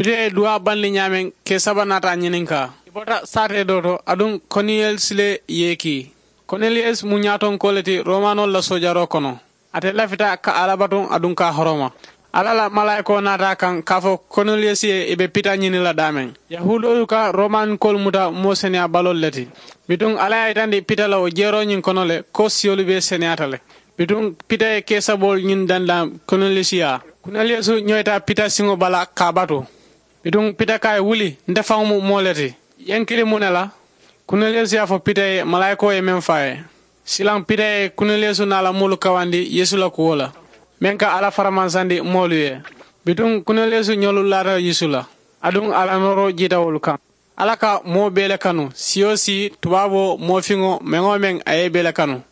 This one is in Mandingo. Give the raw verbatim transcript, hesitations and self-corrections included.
Pita ye duwaa bandi ñaameŋ, kee saba naata a ñininkaa. I bota saatee doo to, aduŋ koneliyasi le ye i kii. Koneliyasi mu ñaatonkoo le ti romanoolu la soojaroo kono. Ate lafita ka alla batuŋ aduŋ ka a horoma. Alla la malaayikoo naata a kaŋ ka a fo koneliyasi ye i be pita ñini la daameŋ. Yahuudoolu ka romanikoolu muta moo seneyaa baloolu le ti. Bituŋ alla ye a yitandi pita la wo jeeroo ñiŋ kono le ko siyolu bee seneyaata le. Bituŋ pita ye kee saboolu ñiŋ dandaŋ koneliyasi yaa. Koneliyasi ñoyita pita siŋo bala ka a batu. Bituŋ pita ko a ye wuli, nte faŋo mu moo le ti. Ye n kili muŋ ne la? Koneliyasi ye a fo pita ye malaayikoo ye meŋ fo a ye. Silaŋ pita ye koneliyasi naa la moolu kawandi yeesu la kuwo la, meŋ ka alla faramansandi moolu ye. Bituŋ koneliyasi ñolu laata yeesu la, aduŋ a la nooroo jiita wolu kaŋ. Alla ka moo bee le kanu, siyo si, tubaaboo, moofiŋo, meŋ-wo-meŋ a ye i bee le kanu.